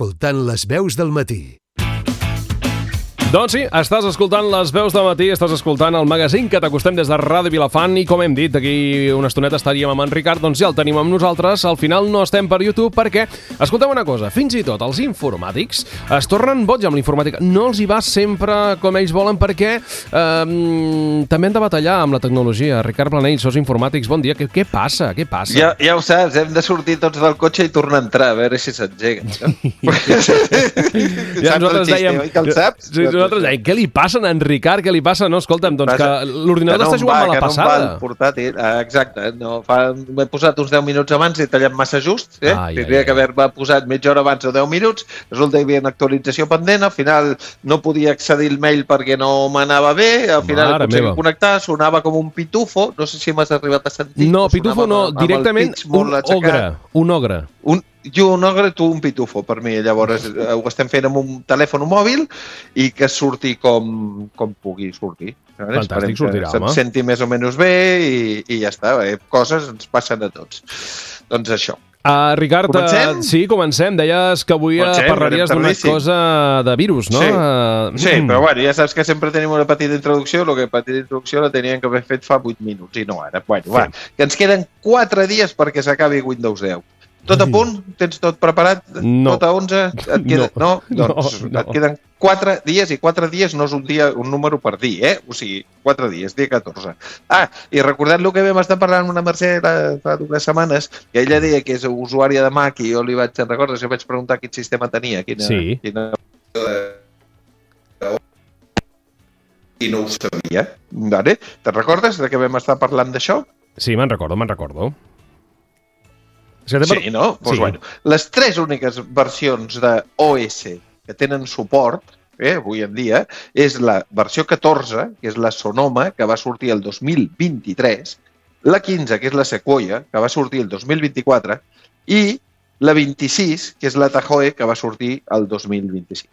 Escoltant les veus del matí. Doncs sí, estàs escoltant les veus del matí, estàs escoltant el magazín que t'acostem des de Ràdio Vilafant i com hem dit, d'aquí una estoneta estaríem amb en Ricard, doncs ja el tenim amb nosaltres. Al final no estem per YouTube perquè, escolteu una cosa, fins i tot els informàtics es tornen boig amb l'informàtica. No els hi va sempre com ells volen perquè també han de batallar amb la tecnologia. Ricard Planell, sos informàtics, bon dia. Què passa? Què passa? Ja ho saps, hem de sortir tots del cotxe i tornar a entrar, a veure si s'engega. No? Ja nosaltres dèiem... Que el saps? Sí, nosaltres dèiem, què li passa a en Ricard? Què li passa? No, escolta'm, doncs que l'ordinador està jugant mala passada. Que no em va el portàtil. Exacte. M'he posat uns 10 minuts abans i he tallat massa just. Tindria que haver-me posat mitja hora abans o 10 minuts. Resulta que hi havia una actualització pendent. Al final no podia accedir al mail perquè no m'anava bé. Al final aconseguia connectar. Sonava com un pitufo. No sé si m'has arribat a sentir. No, pitufo no. Directament un ogre. Un ogre. Jo un ogre, tu un pitufo, per mi. Llavors ho estem fent amb un telèfon mòbil i que surti com pugui sortir. Fantàstic, sortirà, home. Se'm senti més o menys bé i ja està. Coses ens passen a tots. Doncs això. Ricard, sí, comencem. Deies que avui parlaries d'una cosa de virus, no? Sí, però bueno, ja saps que sempre tenim una petita introducció. La petita introducció la tenien que haver fet fa 8 minuts i no ara. Bueno, va, que ens queden 4 dies perquè s'acabi Windows 10. Tot a punt? Tens tot preparat? No. Tot a 11? Et queda... No? Doncs et queden 4 dies i 4 dies no és un número per dir, O sigui, 4 dies, dia 14. I recordant el que vam estar parlant amb una Mercè fa 2 setmanes, que ella deia que és usuària de Mac i jo li vaig recordar, jo vaig preguntar quin sistema tenia, quina... I no ho sabia. Vale? Te'n recordes de que vam estar parlant d'això? Sí, me'n recordo. Sí, no? Doncs bueno, les 3 úniques versions de OS que tenen suport, avui en dia, és la versió 14, que és la Sonoma, que va sortir el 2023, la 15, que és la Sequoia, que va sortir el 2024, i la 26, que és la Tahoe, que va sortir el 2025.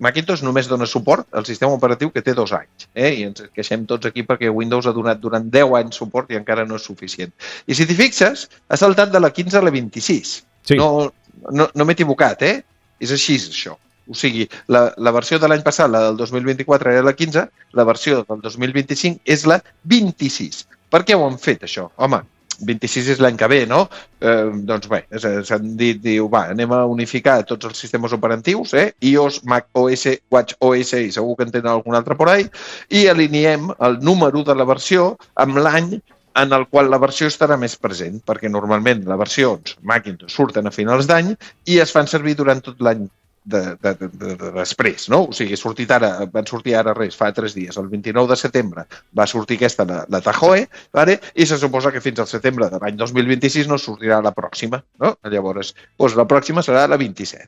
Macintosh només dona suport al sistema operatiu que té 2 anys, i ens queixem tots aquí perquè Windows ha donat durant 10 anys suport i encara no és suficient. I si t'hi fixes, ha saltat de la 15 a la 26. Sí. No m'he equivocat, És així, això. O sigui, la versió de l'any passat, la del 2024, era la 15, la versió del 2025 és la 26. Per què ho han fet, això? Home, 26 és l'any que ve, no? Doncs bé, s'han dit, anem a unificar tots els sistemes operatius, iOS, Mac OS, Watch OS i segur que en tenen algun altre por ahí, i alineem el número de la versió amb l'any en el qual la versió estarà més present, perquè normalment les versions Macintosh surten a finals d'any i es fan servir durant tot l'any després, no? O sigui, van sortir ara fa 3 dies. El 29 de setembre va sortir aquesta, la Tahoe, i se suposa que fins al setembre de l'any 2026 no sortirà la pròxima, no? Llavors, la pròxima serà la 27.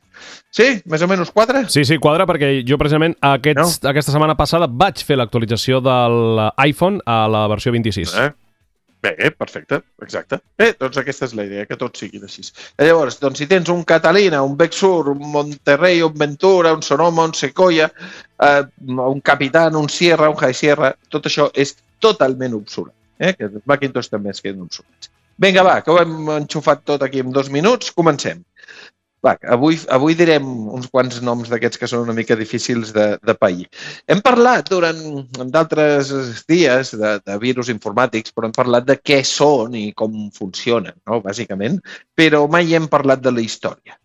Sí? Més o menys quadra? Sí, quadra, perquè jo precisament aquesta setmana passada vaig fer l'actualització de l'iPhone a la versió 26. Bé, perfecte, exacte. Doncs aquesta és la idea, que tots siguin així. Llavors, doncs, si tens un Catalina, un Big Sur, un Monterrey, un Ventura, un Sonoma, un Sequoia, un Capitán, un Sierra, un High Sierra, tot això és totalment obsolet. Que els Macintosh també es queden obsolets. Vinga, va, que ho hem enxufat tot aquí en 2 minuts, comencem. Va, avui direm uns quants noms d'aquests que són una mica difícils de pair. Hem parlat durant d'altres dies de virus informàtics, però hem parlat de què són i com funcionen, no? Bàsicament, però mai hem parlat de la història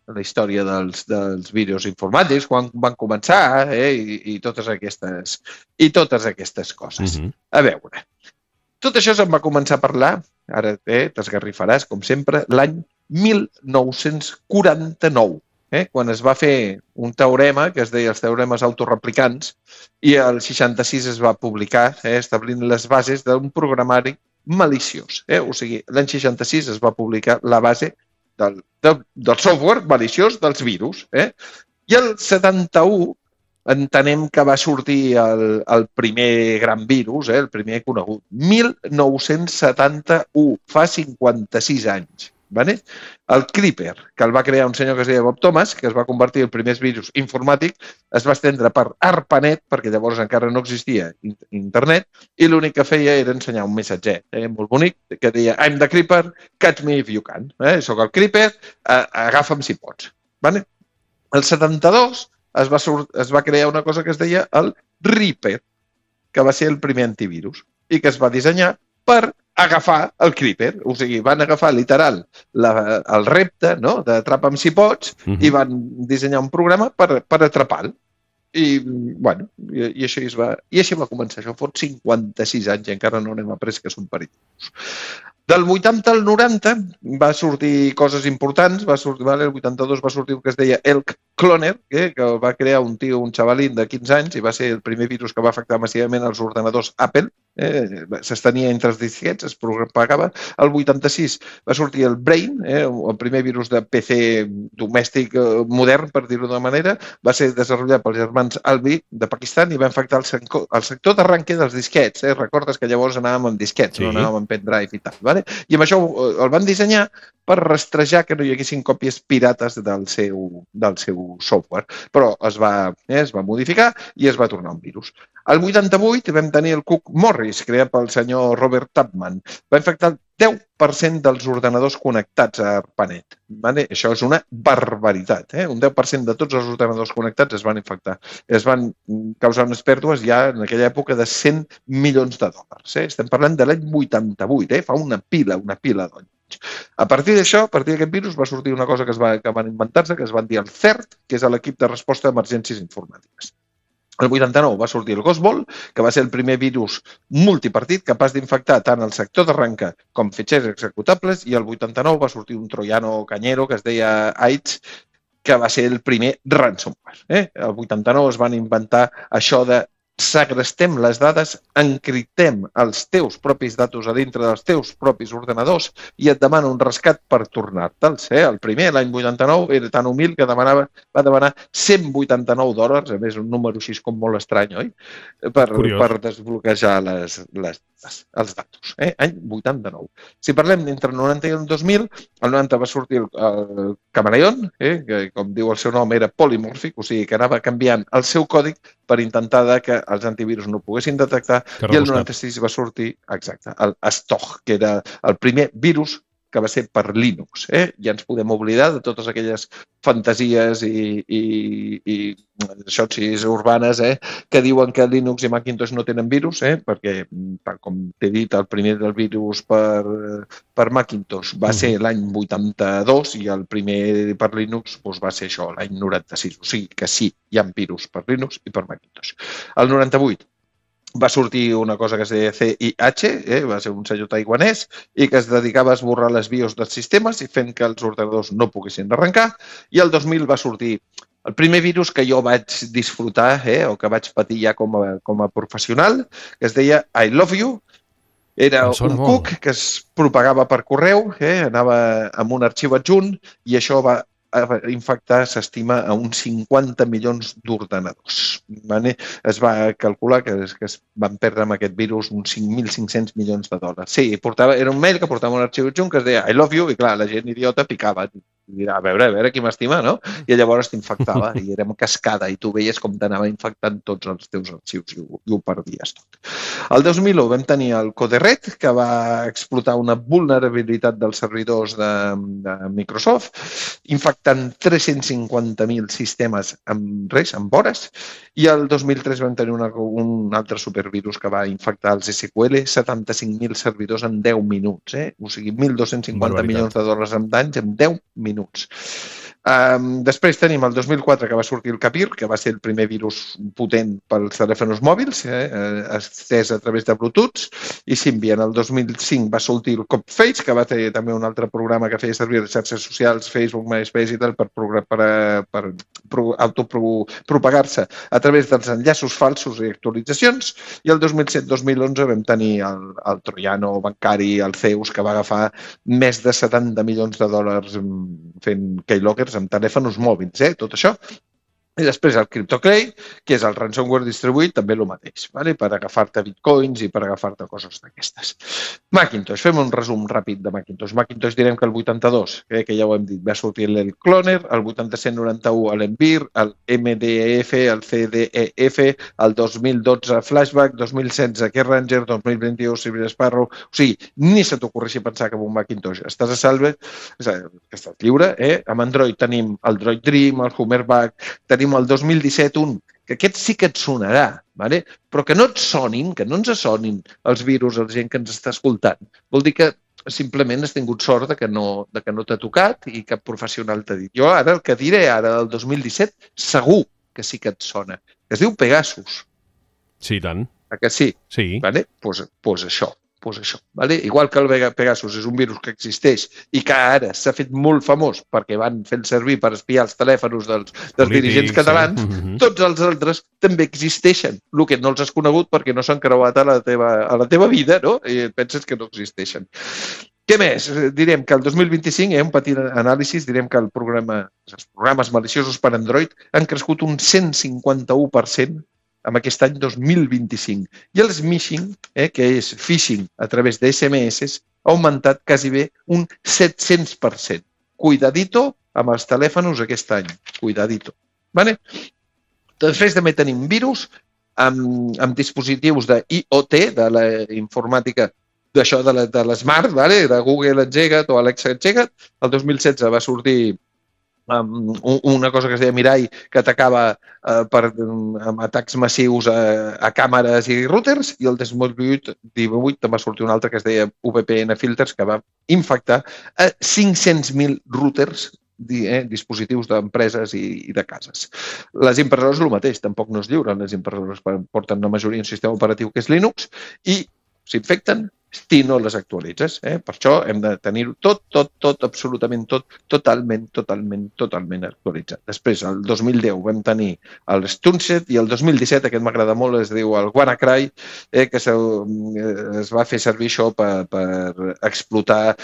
dels virus informàtics, quan van començar i totes aquestes coses. A veure, tot això se'n va començar a parlar, ara t'esgarrifaràs, com sempre, l'any 1949, quan es va fer un teorema que es deia els teoremes autoreplicants i el 66 es va publicar establint les bases d'un programari maliciós. O sigui, l'any 66 es va publicar la base del software maliciós dels virus. I el 71 entenem que va sortir el primer gran virus, el primer conegut. 1971, fa 56 anys. Vale? El Creeper, que el va crear un senyor que es deia Bob Thomas, que es va convertir en el primer virus informàtic, es va estendre per ARPANET, perquè llavors encara no existia internet, i l'únic que feia era ensenyar un missatget molt bonic, que deia I'm the Creeper, catch me if you can. Soc el Creeper, agafa'm si pots. Vale? El 72 es va crear una cosa que es deia el Reaper, que va ser el primer antivirus, i que es va dissenyar per agafar el Creeper. O sigui, van agafar literal el repte, no?, d'atrapa'm si pots, i van dissenyar un programa per atrapar-lo. I, bueno, i així va començar. Això fot 56 anys i encara no n'hem après que són perillosos. Del 80 al 90 va sortir coses importants. El 82 va sortir el que es deia Elk Cloner, que va crear un xavalín de 15 anys i va ser el primer virus que va afectar massivament els ordenadors Apple. S'estenia entre els disquets, es propagava. El 86 va sortir el Brain, el primer virus de PC domèstic modern, per dir-ho d'una manera. Va ser desenvolupat pels germans Albi de Pakistan i va infectar el sector d'arranque dels disquets. Recordes que llavors anàvem amb disquets, no anàvem amb pendrive i tal. Vale? I amb això el van dissenyar per rastrejar que no hi haguessin còpies pirates del seu software. Però es va modificar i es va tornar un virus. Al 88 vam tenir el Cook Morris, creat pel senyor Robert Tubman. Va infectar el 10% dels ordenadors connectats a ARPANET. Vale? Això és una barbaritat. Un 10% de tots els ordenadors connectats es van infectar. Es van causar unes pèrdues ja en aquella època de $100 milions. Estem parlant de l'any 88, fa una pila d'anys. A partir d'això, a partir d'aquest virus, va sortir una cosa que van inventar-se, que es van dir el CERT, que és l'equip de resposta a emergències informàtiques. El 89 va sortir el Ghostball, que va ser el primer virus multipartit capaç d'infectar tant el sector d'arranca com fitxers executables, i el 89 va sortir un troiano canyero que es deia AIDS, que va ser el primer ransomware. El 89 es van inventar això de segrestem les dades, encriptem els teus propis datos a dintre dels teus propis ordenadors i et demana un rescat per tornar-te'ls. El primer, l'any 89, era tan humil que va demanar $189, a més un número així com molt estrany, oi? Per desbloquejar els datos. Any 89. Si parlem d'entre el 90 i el 2000, el 90 va sortir el Camaleon, que com diu el seu nom era polimòrfic, o sigui que anava canviant el seu còdig per intentar que els antivirus no poguessin detectar, i el 96 va sortir, exacte, el Stog, que era el primer virus que va ser per Linux. Ja ens podem oblidar de totes aquelles fantasies i xotxis urbanes que diuen que Linux i Macintosh no tenen virus, perquè, tal com t'he dit, el primer del virus per Macintosh va ser l'any 82 i el primer per Linux va ser això, l'any 96. O sigui que sí, hi ha virus per Linux i per Macintosh. El 98 va sortir una cosa que es deia CIH, va ser un senyor taiwanès, i que es dedicava a esborrar les BIOS dels sistemes i fent que els ordenadors no poguessin arrencar. I el 2000 va sortir el primer virus que jo vaig disfrutar, o que vaig patir ja com a professional, que es deia I Love You. Era un cuc que es propagava per correu, anava amb un arxiu adjunt, i això va infectar, s'estima, a uns 50 milions d'ordenadors. Es va calcular que es van perdre amb aquest virus uns $5.500 milions. Sí, era un mail que portava un arxiu adjunt que es deia I love you, i clar, la gent idiota picava. I dirà, a veure qui m'estima, no? I llavors t'infectava i era una cascada i tu veies com t'anava infectant tots els teus arxius i ho perdies tot. El 2001 vam tenir el Code-Red, que va explotar una vulnerabilitat dels servidors de Microsoft, infectant 350.000 sistemes amb hores, i el 2003 vam tenir un altre supervirus que va infectar els SQL, 75.000 servidors en 10 minuts. O sigui, $1.250 milions en danys en 10 minuts. Després tenim el 2004 que va sortir el Capir, que va ser el primer virus potent pels telèfons mòbils, estès a través de Bluetooth, i Symbian. El 2005 va sortir el Copface, que va tenir també un altre programa que feia servir les xarxes socials, Facebook, MySpace i tal, per autopropagar-se a través dels enllaços falsos i actualitzacions. I el 2007-2011 vam tenir el troiano bancari, el Zeus, que va agafar més de $70 milions fent keyloggers amb telèfons mòbils, tot això. I després el CryptoCray, que és el ransomware distribuït, també el mateix, vale? Per agafar-te bitcoins i per agafar-te coses d'aquestes. Macintosh, fem un resum ràpid de Macintosh. Macintosh direm que el 82, que ja ho hem dit, va sortir l'Cloner, el 8791 l'Envir, el MDEF, el CDEF, el 2012 Flashback, 2016 Keyranger, 2021 Cyber Sparrow. O sigui, ni se t'ocorreixi pensar que amb un Macintosh estàs a salve, que estàs lliure. Amb Android tenim el Droid Dream, el Hummerback, tenim el 2017 que aquest sí que et sonarà, vale? Però que no et sonin, que no ens sonin els virus a la gent que ens està escoltant. Vol dir que simplement has tingut sort de que no t'ha tocat i cap professional t'ha dit. Jo ara el que diré ara del 2017 segur que sí que et sona. Es diu Pegasus. Sí, tant. Que sí? Sí. Vale? Pues això. Vale? Igual que el Pegasus és un virus que existeix i que ara s'ha fet molt famós perquè van fent servir per espiar els telèfons dels dirigents catalans, tots els altres també existeixen. El que no els has conegut perquè no s'han creuat a la teva vida, no? I penses que no existeixen. Què més? Direm que el 2025, un petit anàlisi, direm que els programes maliciosos per Android han crescut un 151% amb aquest any 2025. I el smishing, que és phishing a través de SMS, ha augmentat quasi bé un 700%. Cuidadito amb els telèfons aquest any. Cuidadito. Vale? Després també tenim virus amb dispositius d'IoT, de la informàtica d'això de l'Smart, vale? De Google Engega't o Alexa Engega't. El 2016 va sortir una cosa que es deia Mirai, que atacava amb atacs massius a càmeres i routers, i el 2018 també va sortir un altre que es deia VPN Filters, que va infectar a 500.000 routers, dispositius d'empreses i de cases. Les impressores el mateix, tampoc no es lliuren. Les impressores porten la majoria un sistema operatiu que és Linux i s'infecten si no les actualitzes. Per això hem de tenir-ho tot, absolutament tot, totalment actualitzat. Després, el 2010 vam tenir el Stuxnet i el 2017, aquest m'agrada molt, es diu el WannaCry, que es va fer servir això per explotar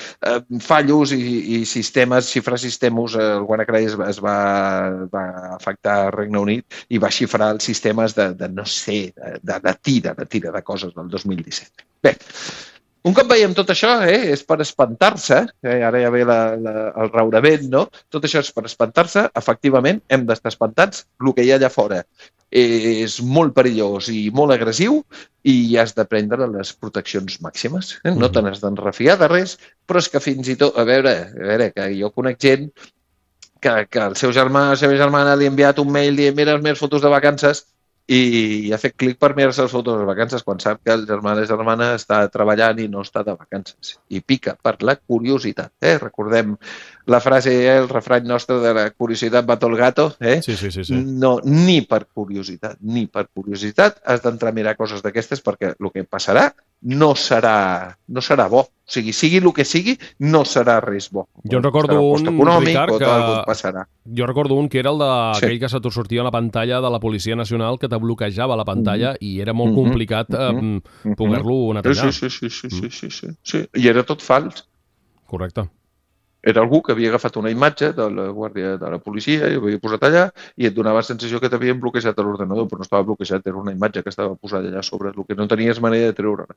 fallos i sistemes, xifrar sistemes. El WannaCry es va afectar al Regne Unit i va xifrar els sistemes de tira de coses del 2017. Bé, un cop veiem tot això, és per espantar-se, ara ja ve el raurament, no? Tot això és per espantar-se, efectivament, hem d'estar espantats. El que hi ha allà fora és molt perillós i molt agressiu i has de prendre les proteccions màximes. No te n'has d'enrefiar de res, però és que fins i tot, a veure, que jo conec gent que el seu germà o la seva germana li ha enviat un mail dient mira les meves fotos de vacances i ha fet clic per mirar-se les fotos de vacances quan sap que el germà o la germana està treballant i no està de vacances. I pica per la curiositat. Recordem la frase, el refrany nostre de la curiositat mata el gato. Sí. No, ni per curiositat has d'entrar a mirar coses d'aquestes perquè el que passarà no serà bo. O sigui el que sigui, no serà res bo. Jo en recordo un, Ricard, jo recordo un que era el d'aquell que se t'ho sortia a la pantalla de la Policia Nacional, que te bloquejava la pantalla i era molt complicat poder-lo netejar. Sí. I era tot fals. Correcte. Era algú que havia agafat una imatge de la guàrdia de la policia i ho havia posat allà i et donava la sensació que t'havien bloquejat a l'ordenador, però no estava bloquejat, era una imatge que estava posada allà sobre, el que no tenies manera de treure-la.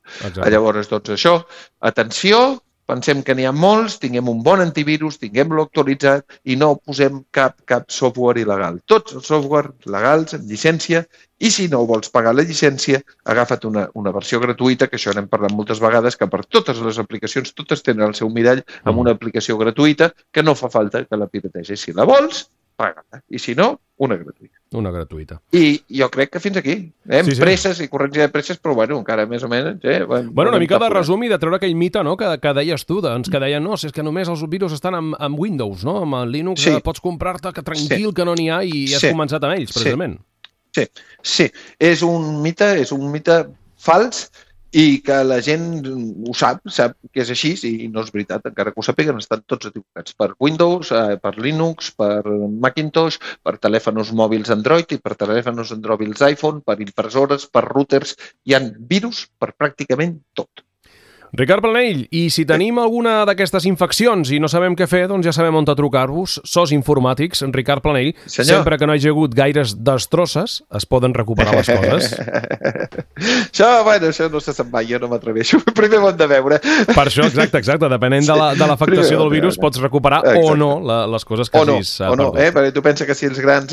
Llavors, doncs això, atenció, pensem que n'hi ha molts, tinguem un bon antivirus, tinguem-lo actualitzat i no posem cap software il·legal. Tots els software legals, amb llicència, i si no vols pagar la llicència, agafa't una versió gratuïta, que això n'hem parlat moltes vegades, que per totes les aplicacions, totes tenen el seu mirall amb una aplicació gratuïta, que no fa falta que la pirategis. Si la vols, paga-la. I si no, una gratuïta. Una gratuïta. I jo crec que fins aquí. Presses i corrents de presses, però encara més o menys. Una mica de resum i de treure aquell mite, no?, que deies tu, que deien, no, si és que només els virus estan amb Windows, no? Amb el Linux pots comprar-te que tranquil que no n'hi ha i has començat amb ells, precisament. Sí. És un mite fals i que la gent ho sap que és així i no és veritat, encara que ho sàpiguen, estan tots equivocats per Windows, per Linux, per Macintosh, per telèfons mòbils Android i per telèfons mòbils iPhone, per impressores, per routers. Hi ha virus per pràcticament tot. Ricard Planell, i si tenim alguna d'aquestes infeccions i no sabem què fer, doncs ja sabem on trucar-vos. SOS Informàtics, Ricard Planell. Senyor. Sempre que no hi hagi hagut gaires destrosses, es poden recuperar les coses. Això no se sap mai, jo no m'atreveixo. Primer ho hem de veure. Per això, exacte. Depenent de l'afectació del virus, pots recuperar o no les coses que hagis perdut. Perquè tu penses que si els grans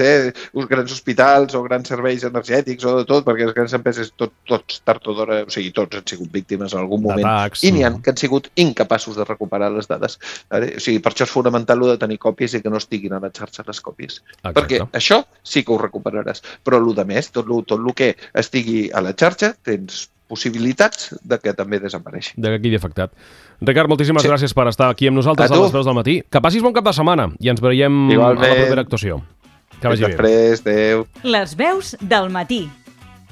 hospitals o grans serveis energètics o de tot, perquè les grans empreses tots tard o d'hora, o sigui, tots han sigut víctimes en algun moment i n'hi ha que han sigut incapaços de recuperar les dades. O sigui, per això és fonamental de tenir còpies i que no estiguin a la xarxa les còpies. Exacte. Perquè això sí que ho recuperaràs. Però el més, tot el que estigui a la xarxa, tens possibilitats de que també desapareixi. De que quedi afectat. Ricard, moltíssimes gràcies per estar aquí amb nosaltres a les veus del matí. Que passis bon cap de setmana i ens veiem a la propera actuació. Que vagi bé. Després, adéu. Les veus del matí.